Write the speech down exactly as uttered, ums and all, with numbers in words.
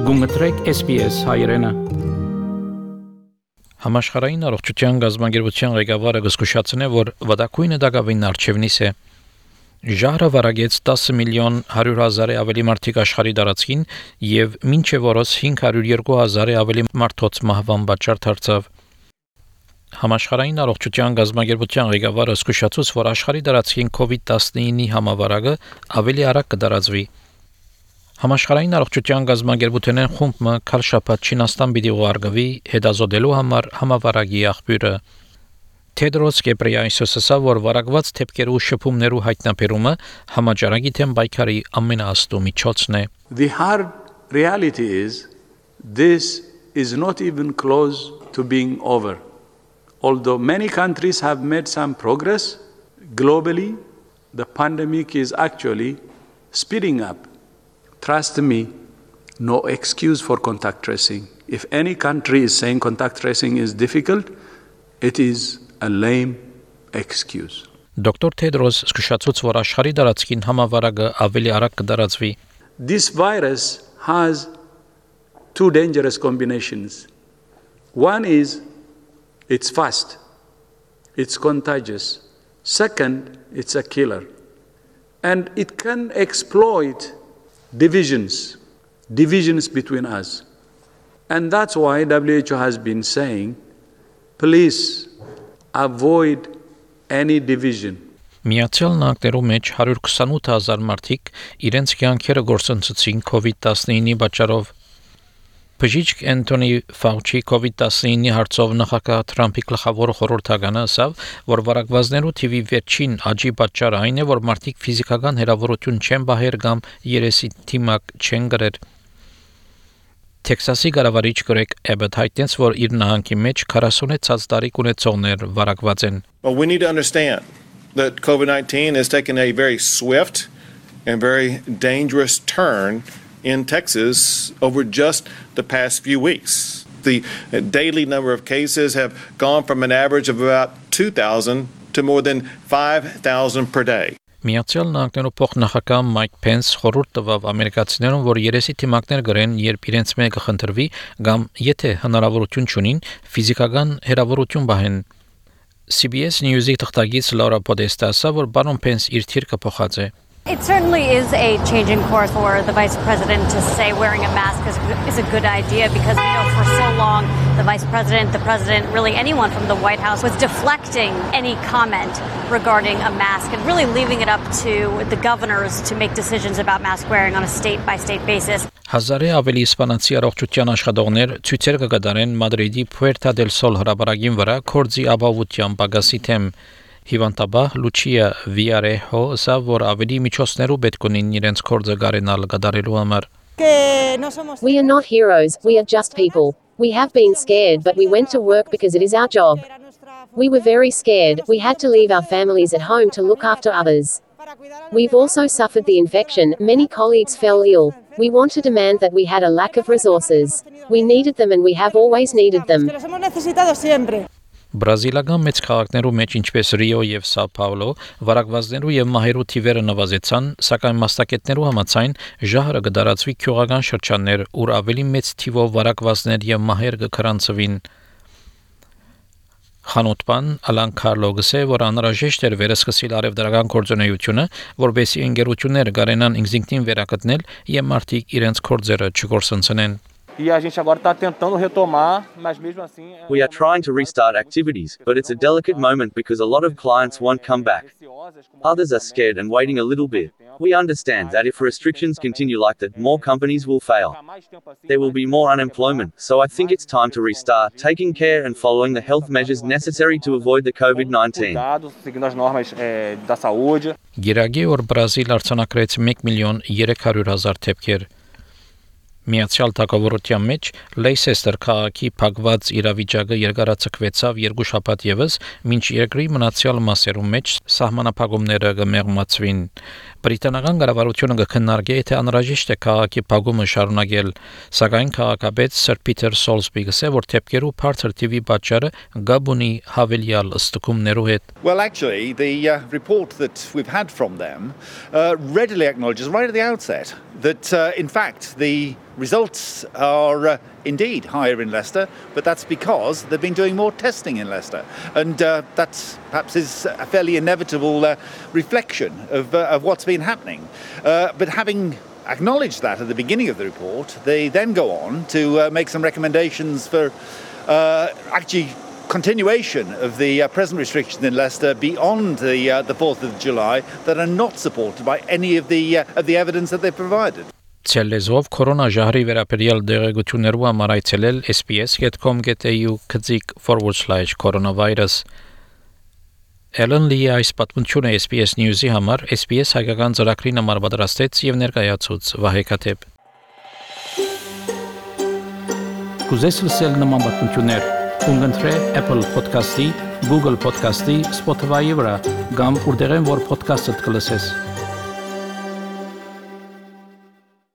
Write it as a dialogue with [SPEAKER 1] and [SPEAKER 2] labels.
[SPEAKER 1] Գումտրեք S B S հայրենը։ Համաշխարհային առողջության գազագերբության ղեկավարը զսկուշացնե, որ վտակույնը դակավին արչևնիս է։ Ժահրը վարագեց ten միլիոն one hundred հազարի ավելի մարդիկ աշխարհի տարածքին եւ մինչեւ օրս five hundred two հազարի ավելի մարդոց մահվան պատճառ դարձավ։ Համաշխարհային առողջության գազագերբության ղեկավարը զսկուշացուց, որ աշխարհի տարածքին COVID nineteen-ի համավարակը ավելի արագ կդարածվի։ Համաշխարհային առողջության գազագերբության խումբը քարշապատ Չինաստան պիտի ուղարկվի հետազոտելու համար համավարակի աղբյուրը։ Թեդրոս Գեբրեյեսուսը ասավ, որ վարակված թեփքերու շփումներու հայտնաբերումը համաճարակի թեմ պայքարի ամենաաստու միջոցն է։
[SPEAKER 2] The hard reality is this is not even close to being over. Although many countries have made some progress, globally, the pandemic is actually speeding up. Trust me, no excuse for contact tracing. If any country is saying contact tracing is difficult, it is a lame excuse.
[SPEAKER 1] Doctor Tedros զսկուշացուց, որ աշխարհի տարածքին համավարակը ավելի արագ կդարածվի։
[SPEAKER 2] This virus has two dangerous combinations. One is it's fast, it's contagious. Second, it's a killer. And it can exploit divisions, divisions between us. And that's why W H O has been saying, please avoid any division.
[SPEAKER 1] Միացյալ Նահանգներու մեջ one hundred twenty-eight հազար մարդիկ իրենց կյանքերը գործընծեցին COVID nineteen-ի պատճառով։ Բժիշկ Անթոնի Ֆաուչի COVID nineteen-ի հարցով նախագահ Թրամփի գլխավոր խորհրդականը ասավ, որ վարակվածներու թիվի վերջին աճի պատճառը այն է, որ մարդիկ ֆիզիկական հեռավորություն չեն բահեր կամ երեսի թիմակ չեն գրեր։ Տեքսասի կառավարիչ Գրեգ Էբետ հայտնեց, որ իր նահանգի մեջ forty-six տարի ունեցողներ վարակված են։
[SPEAKER 3] Well, we need to understand that COVID nineteen has taken a very swift and very dangerous turn in Texas over just the past few weeks. The daily number of cases have gone from an average of about two thousand to more than five thousand per day.
[SPEAKER 1] Միացյալ Նահանգներու փոխնախագահ Մայք Փենս խորհուրդ տվավ ամերիկացիներուն, որ երեսի թիմակներ գրեն, երբ իրենց մեկը խնդրվի, կամ եթե հնարավորություն չունին, ֆիզիկական հեռավորություն բահեն։ C B S News-ի թղթակից Լաուրա Պոդեստը ասավ, որ պարոն Փենս իր թիրքը փոխած է։
[SPEAKER 4] It certainly is a change in course for the Vice President to say wearing a mask is, is a good idea, because we know for so long the Vice President, the President, really anyone from the White House was deflecting any comment regarding a mask and really leaving it up to the governors to make decisions about mask wearing on a state-by-state basis.
[SPEAKER 1] Հազարի ավելի իսպանացի առողջության աշխատողներ ցույցեր կկատարեն Մադրիդի Puerta del Sol հրապարակին վրա կորձի ապահովության պակասի թեմ։ Հիվանդաբար Լուչիա Վիարեհո ասավ, որ ավելի միջոցներու պետք ունին իրենց կորձը գարենալ կատարելու համար։
[SPEAKER 5] We are not heroes, we are just people. We have been scared, but we went to work because it is our job. We were very scared, we had to leave our families at home to look after others. We've also suffered the infection, many colleagues fell ill. We want to demand that we had a lack of resources. We needed them and we have always needed them.
[SPEAKER 1] Բրազիլական մեծ քաղաքներու մեջ, ինչպես Ռիո եւ Սաո Պաուլո, վարակվածներու եւ մահերու թիվերը նվազեցան, սակայն մասնակիցներու համաձայն ժահրը կդարածվի քյողական շրջաններ, ուր ավելի մեծ թիվով վարակվածներ եւ մահեր կքրանցվին։ Խանութբան Ալան Կարլո գսե, որ անհրաժեշտ էր վերսկսել արևդրական գործունեությունը, որբեսի ընկերությունները կարենան ինքնին վերականգնել եւ մարդիկ իրենց կորձերը չգործընծեն։
[SPEAKER 6] E a gente agora está tentando retomar, mas mesmo assim.
[SPEAKER 7] We are trying to restart activities, but it's a delicate moment because a lot of clients won't come back. Others are scared and waiting a little bit. We understand that if restrictions continue like that, more companies will fail. There will be more unemployment, so I think it's time to restart, taking care and following the health measures necessary to avoid the COVID nineteen.
[SPEAKER 1] Գիրագի որ Բրազիլ արձանագրեց one միլիոն three hundred հազար թեփքեր։ Միացյալ Թագավորության մեջ Լեյսեստեր քաղաքի փակված իրավիճակը երկարացկվեցավ երկու շաբաթ եւս, մինչ երկրի մնացյալ մասերում մեջ սահմանափակումները կմեղմացվին։ Բրիտանական կառավարությունը կքննարկի, թե անհրաժեշտ է քաղաքի փակումը շարունակել, սակայն քաղաքապետ Սր Փիթեր Սոլսբի գսե, որ թեփքերու բարձր թիվի պատճառը գաբունի հավելյալ ստուգումներու հետ։
[SPEAKER 8] Well, actually, the uh, report that we've had from them uh, readily acknowledges right at the outset that, uh, in fact, the results are uh, indeed higher in Leicester, but that's because they've been doing more testing in Leicester. And uh, that perhaps is a fairly inevitable uh, reflection of, uh, of what's been happening. Uh, but having acknowledged that at the beginning of the report, they then go on to uh, make some recommendations for uh, actually continuation of the uh, present restrictions in Leicester beyond the uh, the fourth of July that are not supported by any of the uh, of the evidence that they've provided.
[SPEAKER 1] Ցելեզով կորոնա ժահրի վերաբերյալ դեղեցություններու համար այցելել S B S dot com dot A U click forward slash coronavirus Ellen Lee այս պատմությունը S B S News-ի համար S B S հայկական ծրագրին համար պատրաստեց եւ ներկայացուց Վահե Քաթեփ Կուզես լսել նման պատմություններ Ունգընտրե Apple Podcast-ի, Google Podcast-ի, Spotify-ի վրա, կամ որտեղեն որ podcast-ըդ կլսես։